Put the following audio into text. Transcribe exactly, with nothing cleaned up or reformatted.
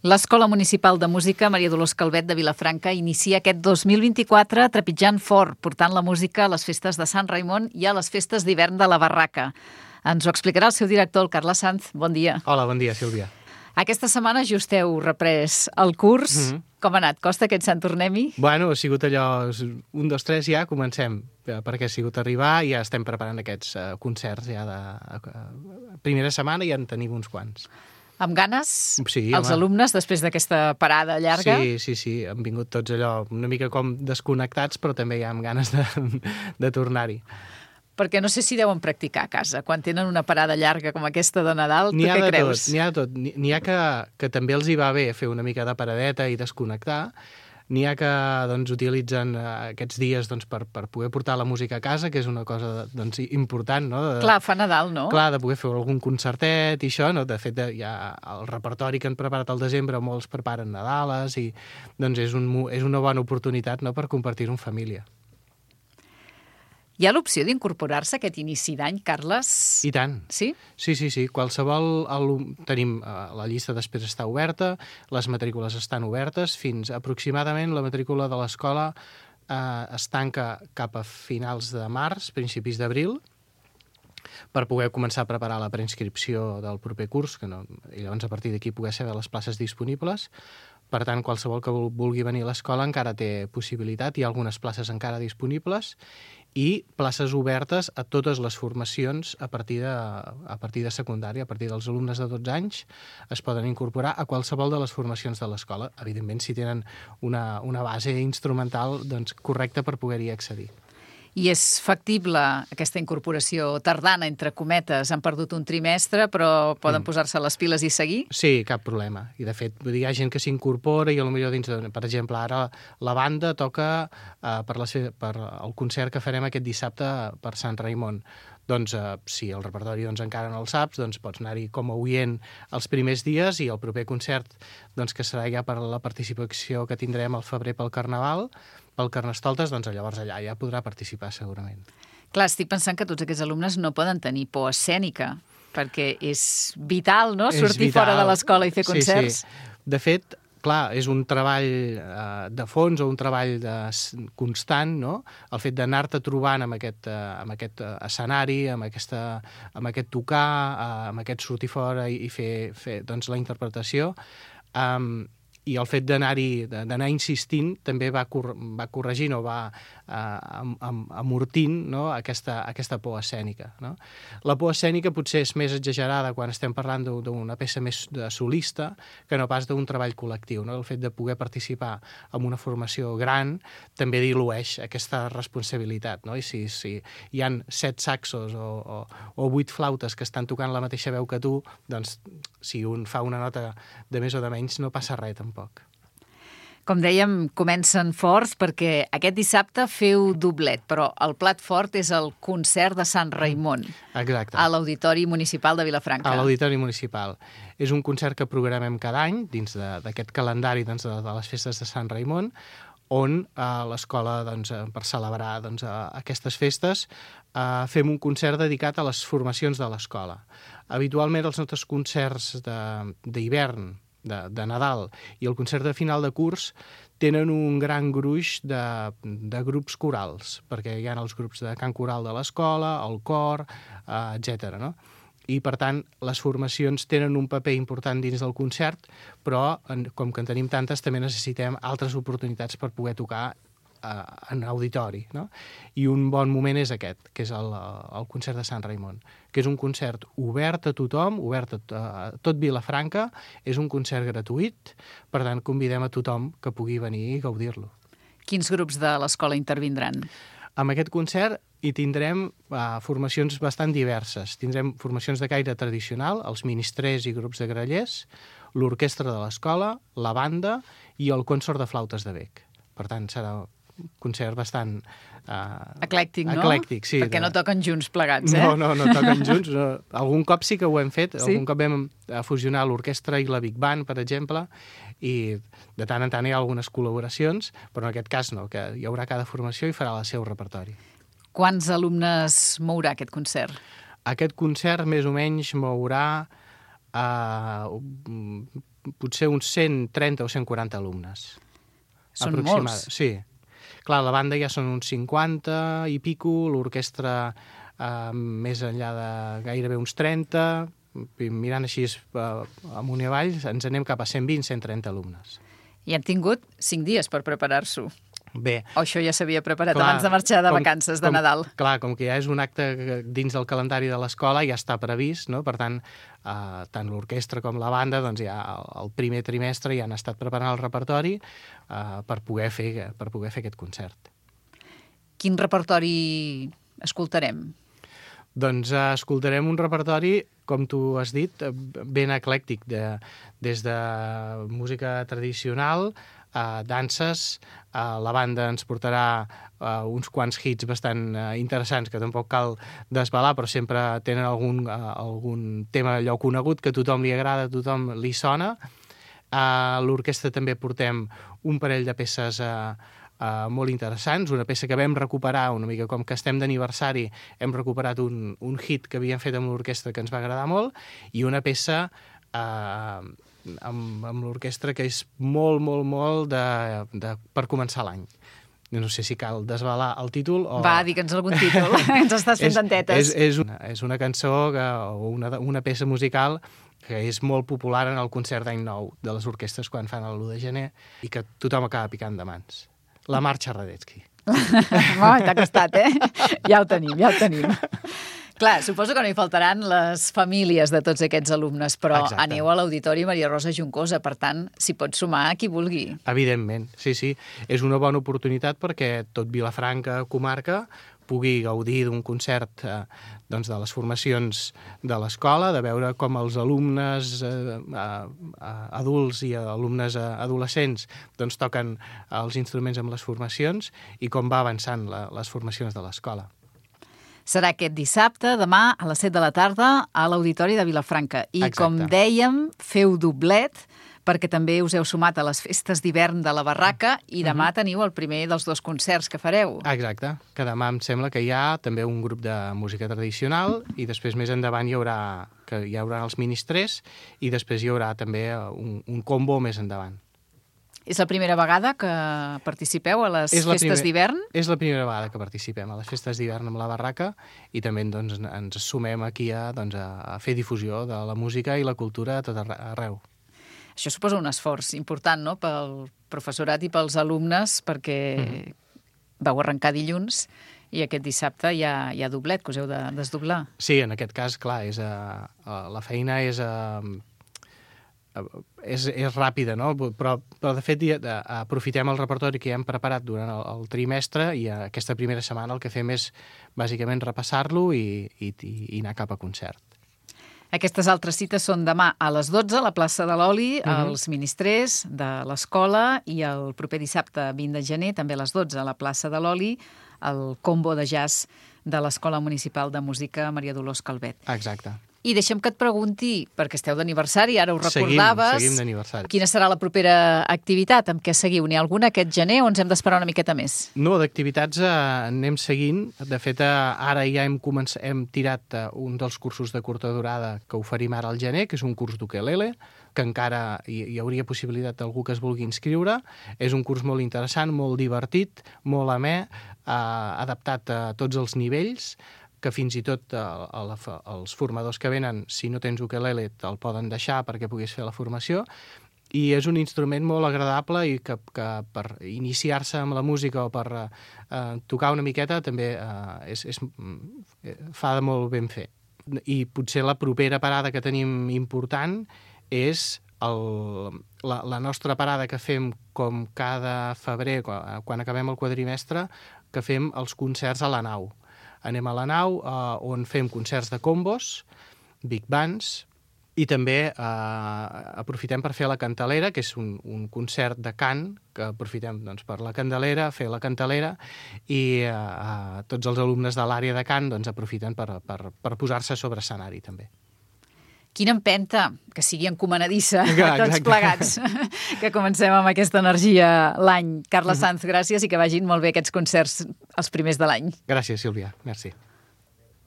L'Escola Municipal de Música Maria Dolors Calvet de Vilafranca inicia aquest dos mil vint-i-quatre trepitjant fort, portant la música a les festes de Sant Raimon i a les festes d'hivern de la Barraca. Ens ho explicarà el seu director, el Carles Sanz. Bon dia. Hola, bon dia, Sílvia. Aquesta setmana just heu reprès el curs. Mm-hmm. Com ha anat? Costa que ens en tornem-hi? Bueno, ha sigut allò, un, dos, tres, ja comencem, perquè ha sigut arribar i ja estem preparant aquests uh, concerts ja de uh, primera setmana i ja en tenim uns quants. Amb ganes, sí, els home. alumnes, després d'aquesta parada llarga? Sí, sí, sí, han vingut tots allò una mica com desconnectats, però també ja amb ganes de, de tornar-hi. Perquè no sé si deuen practicar a casa, quan tenen una parada llarga com aquesta de Nadal, tu què creus? N'hi ha de tot, n'hi ha que, que també els hi va bé fer una mica de paradeta i desconnectar. N'hi ha que doncs, utilitzen aquests dies doncs, per, per poder portar la música a casa, que és una cosa doncs, important, no? De, clar, fa Nadal, no? Clar, de poder fer algun concertet i això, no? De fet, ja el repertori que han preparat al desembre, molts preparen Nadales i doncs, és, un, és una bona oportunitat, no?, per compartir-ho en família. Hi ha l'opció d'incorporar-se a aquest inici d'any, Carles? I tant. Sí? Sí, sí, sí. Qualsevol... Tenim... La llista d'espera està oberta, les matrícules estan obertes, fins aproximadament la matrícula de l'escola eh, es tanca cap a finals de març, principis d'abril, per poder començar a preparar la preinscripció del proper curs, que no, i llavors a partir d'aquí poder saber les places disponibles. Per tant, qualsevol que vulgui venir a l'escola encara té possibilitat, hi ha algunes places encara disponibles, i places obertes a totes les formacions a partir de, a partir de secundària, a partir dels alumnes de dotze anys, es poden incorporar a qualsevol de les formacions de l'escola, evidentment si tenen una, una base instrumental doncs, correcta per poder-hi accedir. I és factible aquesta incorporació tardana, entre cometes? Han perdut un trimestre, però poden mm. posar-se les piles i seguir? Sí, cap problema. I, de fet, hi ha gent que s'incorpora i, potser dins de, per exemple, ara la banda toca uh, per, la, per el concert que farem aquest dissabte per Sant Raimon. Doncs, eh, si el repertori doncs, encara no el saps, doncs pots anar-hi com a oient els primers dies i el proper concert, doncs, que serà ja per la participació que tindrem al febrer pel Carnaval, pel Carnestoltes, doncs llavors allà ja podrà participar segurament. Clar, estic pensant que tots aquests alumnes no poden tenir por escènica, perquè és vital, no?, sortir vital. Fora de l'escola i fer concerts. Sí, sí. De fet, clar, és un treball eh, de fons o un treball de, constant, no? El fet d'anar-te trobant amb aquest, eh, amb aquest escenari, amb, aquesta, amb aquest tocar, eh, amb aquest sortir fora i, i fer, fer doncs, la interpretació, eh, i el fet d'anar-hi, d'anar insistint també va, cor va corregint o va eh, amortint, no?, aquesta, aquesta por escènica. No? La por escènica potser és més exagerada quan estem parlant d'una peça més de solista que no pas d'un treball col·lectiu. No? El fet de poder participar en una formació gran també dilueix aquesta responsabilitat. No? I si, si hi han set saxos o, o, o vuit flautes que estan tocant la mateixa veu que tu, doncs si un fa una nota de més o de menys no passa res tampoc. Com dèiem, comencen forts perquè aquest dissabte feu doblet, però el plat fort és el concert de Sant Raimon. Exacte. A l'Auditori Municipal de Vilafranca. A l'Auditori Municipal. És un concert que programem cada any dins d'aquest calendari doncs, de, de les festes de Sant Raimon, on a l'escola, doncs, per celebrar doncs, aquestes festes, eh, fem un concert dedicat a les formacions de l'escola. Habitualment els nostres concerts d'hivern, de, de Nadal i el concert de final de curs tenen un gran gruix de, de grups corals, perquè hi ha els grups de cant coral de l'escola, el cor, eh, etcètera, no? I, per tant, les formacions tenen un paper important dins del concert, però, com que en tenim tantes, també necessitem altres oportunitats per poder tocar eh, en auditori. No? I un bon moment és aquest, que és el, el concert de Sant Raimon, que és un concert obert a tothom, obert a, a tot Vilafranca, és un concert gratuït, per tant, convidem a tothom que pugui venir i gaudir-lo. Quins grups de l'escola intervindran? Amb aquest concert hi tindrem uh, formacions bastant diverses. Tindrem formacions de caire tradicional, els ministrers i grups de grallers, l'orquestra de l'escola, la banda i el consort de flautes de bec. Per tant, serà un concert bastant... Uh, eclèctic, no? Eclèctic, sí. Perquè de... no toquen junts plegats, eh? No, no, no toquen junts. No. Algun cop sí que ho hem fet. Sí? Algun cop vam fusionar l'orquestra i la Big Band, per exemple, i de tant en tant hi ha algunes col·laboracions, però en aquest cas no, que hi haurà cada formació i farà el seu repertori. Quants alumnes mourà aquest concert? Aquest concert més o menys mourà uh, potser uns cent trenta o cent quaranta alumnes. Són molts. Sí. Clar, la banda ja són uns cinquanta i pico, l'orquestra eh, més enllà de gairebé uns trenta, mirant així uh, amunt i avall, ens anem cap a cent vint cent trenta alumnes. I hem tingut cinc dies per preparar-s'ho. Bé. O això ja s'havia preparat clar, abans de marxar de com, vacances de com, Nadal. Clar, com que ja és un acte dins del calendari de l'escola, ja està previst, no? Per tant, uh, tant l'orquestra com la banda, doncs ja el primer trimestre ja han estat preparant el repertori uh, per, poder fer, per poder fer aquest concert. Quin repertori escoltarem? Doncs uh, escoltarem un repertori, com tu has dit, ben eclèctic, de, des de música tradicional, uh, danses, uh, la banda ens portarà uh, uns quants hits bastant uh, interessants, que tampoc cal desvelar, però sempre tenen algun, uh, algun tema allò conegut que a tothom li agrada, a tothom li sona. A l'orquestra també portem un parell de peces uh, Uh, molt interessants, una peça que vam recuperar una mica com que estem d'aniversari, hem recuperat un, un hit que havíem fet amb l'orquestra que ens va agradar molt, i una peça uh, amb, amb l'orquestra que és molt, molt, molt de, de, per començar l'any. No sé si cal desvelar el títol o... Va, digue'ns algun títol, ens estàs fent tantetes. És, és, una, és una cançó que, o una, una peça musical que és molt popular en el concert d'any nou de les orquestres quan fan l'u de gener i que tothom acaba picant de mans. La marxa Radetzky. Oh, t'ha costat, eh? Ja ho tenim, ja ho tenim. Clar, suposo que no hi faltaran les famílies de tots aquests alumnes, però Exacte. Aneu a l'Auditori Maria Rosa Juncosa, per tant, s'hi pot sumar qui vulgui. Evidentment, sí, sí. És una bona oportunitat perquè tot Vilafranca, comarca, pugui gaudir d'un concert eh, doncs de les formacions de l'escola, de veure com els alumnes eh, eh, adults i alumnes eh, adolescents doncs toquen els instruments amb les formacions i com va avançant la, les formacions de l'escola. Serà aquest dissabte, demà, a les set de la tarda, a l'Auditori de Vilafranca. I, Exacte. Com dèiem, feu doblet, perquè també us heu sumat a les festes d'hivern de la Barraca i demà uh-huh. teniu el primer dels dos concerts que fareu. Exacte, que demà em sembla que hi ha també un grup de música tradicional i després més endavant hi haurà, que hi haurà els ministrers i després hi haurà també un, un combo més endavant. És la primera vegada que participeu a les festes primer, d'hivern? És la primera vegada que participem a les festes d'hivern amb la Barraca i també doncs, ens sumem aquí a, doncs, a fer difusió de la música i la cultura a tot arreu. Això suposa un esforç important, no?, pel professorat i pels alumnes, perquè mm-hmm. vau arrencar dilluns i aquest dissabte hi ha, hi ha doblet, que us heu de desdoblar. Sí, en aquest cas, clar, és, uh, uh, la feina és, uh, uh, és, és ràpida, no? Però, però de fet, uh, aprofitem el repertori que ja hem preparat durant el, el trimestre i uh, aquesta primera setmana el que fem és, bàsicament, repassar-lo i, i, i anar cap a concert. Aquestes altres cites són demà a les dotze a la plaça de l'Oli, uh-huh. als ministrers de l'escola, i el proper dissabte vint de gener, també a les dotze a la plaça de l'Oli, el combo de jazz de l'Escola Municipal de Música Maria Dolors Calvet. Exacte. I deixem que et pregunti, perquè esteu d'aniversari, ara ho recordaves... Seguim, seguim d'aniversari. Quina serà la propera activitat? Amb què seguiu? N'hi ha alguna aquest gener o ens hem d'esperar una miqueta més? No, d'activitats eh, anem seguint. De fet, eh, ara ja hem, començat, hem tirat eh, un dels cursos de curta durada que oferim ara al gener, que és un curs d'ukelele, que encara hi, hi hauria possibilitat d'algú que es vulgui inscriure. És un curs molt interessant, molt divertit, molt amè, eh, adaptat a tots els nivells, que fins i tot eh, la, els formadors que venen, si no tens ukelele, te'l poden deixar perquè puguis fer la formació. I és un instrument molt agradable i que, que per iniciar-se amb la música o per eh, tocar una miqueta també eh, és, és, fa de molt ben fer. I potser la propera parada que tenim important és el, la, la nostra parada que fem com cada febrer, quan, quan acabem el quadrimestre, que fem els concerts a la nau. Anem a la nau, eh, on fem concerts de combos, big bands, i també eh, aprofitem per fer la cantalera, que és un, un concert de cant, que aprofitem doncs, per la candelera, fer la cantalera, i eh, tots els alumnes de l'àrea de cant doncs, aprofiten per, per, per posar-se sobre escenari també. Quina empenta, que sigui encomanadissa a tots plegats, que comencem amb aquesta energia l'any. Carles Sanz, gràcies i que vagin molt bé aquests concerts els primers de l'any. Gràcies, Sílvia. Merci.